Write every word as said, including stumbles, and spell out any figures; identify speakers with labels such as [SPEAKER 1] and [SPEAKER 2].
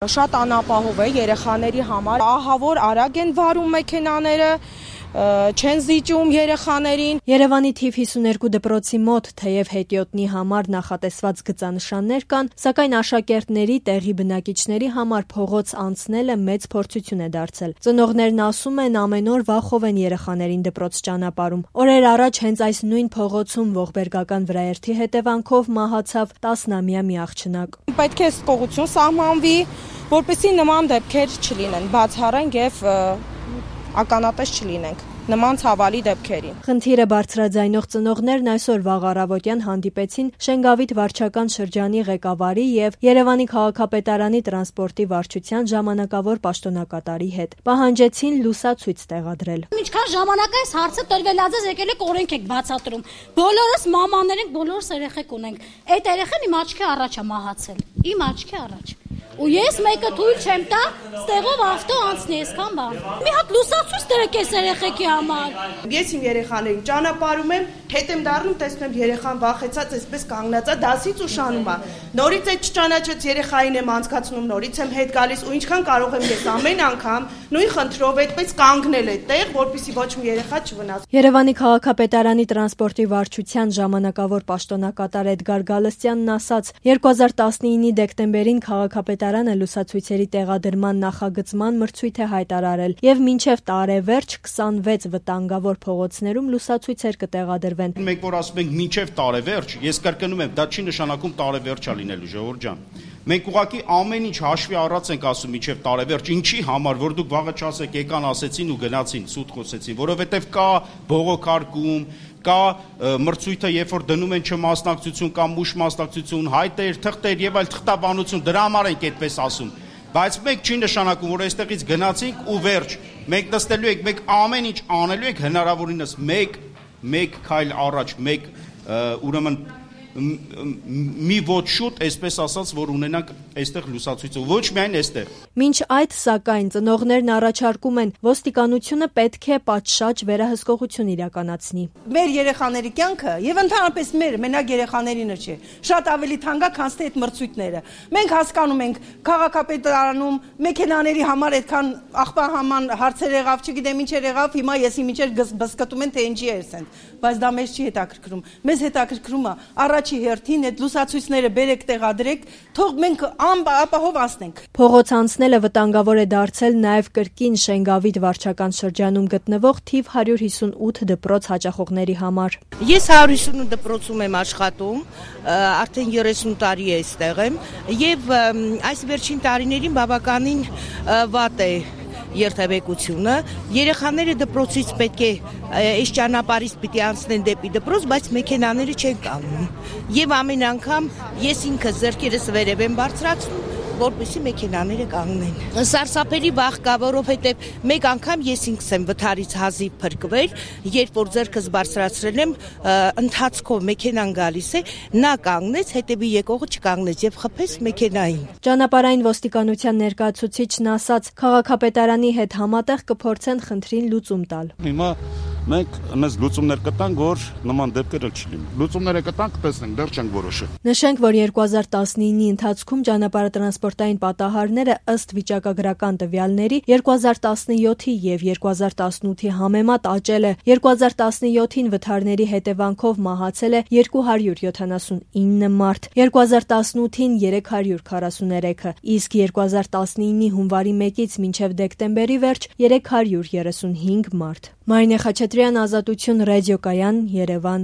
[SPEAKER 1] Շատ անապահով է երեխաների համար, ահավոր արագ են վարում մեքենաները, չեն զիջում երեխաներին։
[SPEAKER 2] Երևանի թիվ հիսուներկու դպրոցի մոտ թեև հետիոտնի համար նախատեսված գծանշաններ կան, սակայն աշակերտների, տեղի բնակիչների համար փողոց անցնելը մեծ փորձություն է դարձել։ Ծնողներն ասում են, ամեն օր վախով են երեխաներին դպրոց ճանապարհում։ Օրեր առաջ հենց այս նույն փողոցում ողբերգական վրաերթի հետևանքով մահացավ տասնամյա մի աղջնակ։
[SPEAKER 1] Պետք է հսկողություն սահմանվի, որպեսզի նման դեպքեր չլինեն, բացառենք եւ ականատես չլինենք նման ցավալի դեպքերի։
[SPEAKER 2] Խնդիրը բարձրաձայնող ծնողներն այսօր վաղ առավոտյան հանդիպեցին Շենգավիթ վարչական շրջանի ղեկավարի եւ Երևանի քաղաքապետարանի տրանսպորտի վարչության ժամանակավոր պաշտոնակատարի հետ։ Պահանջեցին լուսացույց տեղադրել։
[SPEAKER 3] Ինչքան ժամանակ այս հարցը տրվելած է, եկել եք օրենք եք բացատրում։ Բոլորս մամաներ ենք, բոլորս երեխեք ունենք։ Այդ երեխան իմ աչքի առաջ է մահացել։ Իմ աչքի առաջ։ Ու ես մեկը թույլ չեմ տա, ստեղով ավտո անցնի այսքան բան։ Մի հատ լուսացույց դրեք այս երեխեքի համար։
[SPEAKER 1] Ես իմ երեխաներին ճանապարհում եմ, հետ եմ դառնում, տեսնում եմ երեխան վախեցած այսպես կանգնած է, դասից ուշանում է։ Նորից այդ չճանաչած երեխային եմ անցկացնում, նորից եմ հետ գալիս ու ինչքան կարող եմ ես ամեն անգամ նույն խնդրով այդպես կանգնել այդտեղ, որպեսզի ոչ մի երեխա չվնասվի։
[SPEAKER 2] Երևանի քաղաքապետարանի տրանսպորտի վարչության ժամանակավոր պաշտոնակատար Էդգար Գալստյանն ասաց, երկու հազար տասնինի դեկտեմբերին քաղաքապետարանը լուսացույցերի տեղադրման նախագծման մրցույթ է հայտարարել եւ մինչեւ տարեվերջ քսանվեց վտանգավոր փողոցներում լուսացույցեր կտեղադրվեն։
[SPEAKER 4] Մենք որ ասում ենք մինչեւ տարեվերջ, ես կրկնում եմ, դա չի նշանակում տարեվերջա լինելու, ժողովուրդ ջան։ Մենք ուղղակի ամեն ինչ հաշվի առած ենք ասում մինչեւ տարեվերջ, ինչի համար, որ դուք վաղը չասեք, եկան ասեցին ու գնացին, սուտ խոսեցին, որովհետեւ կա բողոքարկում, կա մրցույթը, երբ որ դնում են չմասնակցություն կամ ուշ մասնակցություն, հայտեր, թղթեր եւ այլ թղթաբանություն, դրա համար ենք այդպես ասում։ Բայց մենք չի նշանակում, որ այստեղից գնացինք ու վերջ։ Մենք նստելու ենք, մենք ամեն ինչ անելու ենք հնարավորինս մեկ մեկ քայլ առաջ, մեկ ուրեմն մի ոչ շուտ, այսպես ասած, որ ունենանք այստեղ լուսացույցը, ոչ միայն այստեղ։
[SPEAKER 2] Մինչ այդ, սակայն, ծնողներն առաջարկում են ոստիկանությունը պետք է պատշաճ վերահսկողություն իրականացնի։
[SPEAKER 5] Մեր երեխաների կյանքը եւ ընդհանրապես մեր մենակ երեխաներինը չէ, շատ ավելի թանկ է, քան թե այդ մրցույթները։ Մենք հասկանում ենք, քաղաքապետարանում մեքենաների համար այդքան աղբահաման հարցեր եղավ, չգիտեմ ինչ եղավ, հիմա եսի միջեր բսկտում են թե ինչի էս են, բայց դա մեզ չի հետաքրքրում։ Մեզ հետաքրքրում է առաջի հերթին այդ լուսացույցները բերեք տեղադրեք, թող մենք անապահով անցնենք։
[SPEAKER 2] Փողոց անցնելը վտանգավոր է դարձել նաև կրկին Շենգավիթ վարչական շրջանում գտնվող թիվ հարյուր հիսունութ դպրոց հաճախողների համար։
[SPEAKER 6] Ես հարյուր հիսունութ դպրոցում եմ աշխատում, արդեն երեսուն տարի է այստեղ եմ, եւ այս վերջին տարիներին բավականին վատ է երթևեկությունը, երեխաները դպրոցից պետք է այս ճանապարհից պիտի անցնեն դեպի դպրոց, բայց մեքենաները չեն կանգնում։ Եվ ամեն անգամ ես ինքս ձեռքերս վերև եմ բարձրացնում, որպեսզի մեքենաները կանգնեն։ Սարսափելի վախ կա, որովհետև մեկ անգամ ես ինքս եմ վթարից հազիվ փրկվել, երբ որ ձեռքս բարձրացրել եմ, ընթացքով մեքենան գալիս է, նա կանգնեց, հետևի եկողը չկանգնեց եւ խփեց մեքենային։
[SPEAKER 2] Ճանապարհային ոստիկանության ներկայացուցիչն ասաց, քաղաքապետարանի հետ համատեղ կփորձեն խնդրին լուծում տալ։
[SPEAKER 7] Հիմա մենք մեզ լուծումներ կտանք, որ նման դեպքեր չլինի։ Լուծումները կտանք, տեսնենք, դեռ չենք որոշել։
[SPEAKER 2] Նշենք, որ երկու հազար տասնինի ընթացքում ճանապարհատրանսպորտային պատահարները ըստ վիճակագրական տվյալների երկու հազար տասնյոթի եւ երկու հազար տասնութի համեմատ աճել է։ երկու հազար տասնյոթին վթարների հետևանքով մահացել է երկու հարյուր յոթանասունինը մարդ, երկու հազար տասնութին երեք հարյուր քառասուներեքը, իսկ երկու հազար տասնինի հունվարի մեկից մինչև դեկտեմբերի վերջ երեք հարյուր երեսունհինգ մարդ։ Մարինե Խաչատրյան, Ազատություն, ռադիոկայան, Երևան։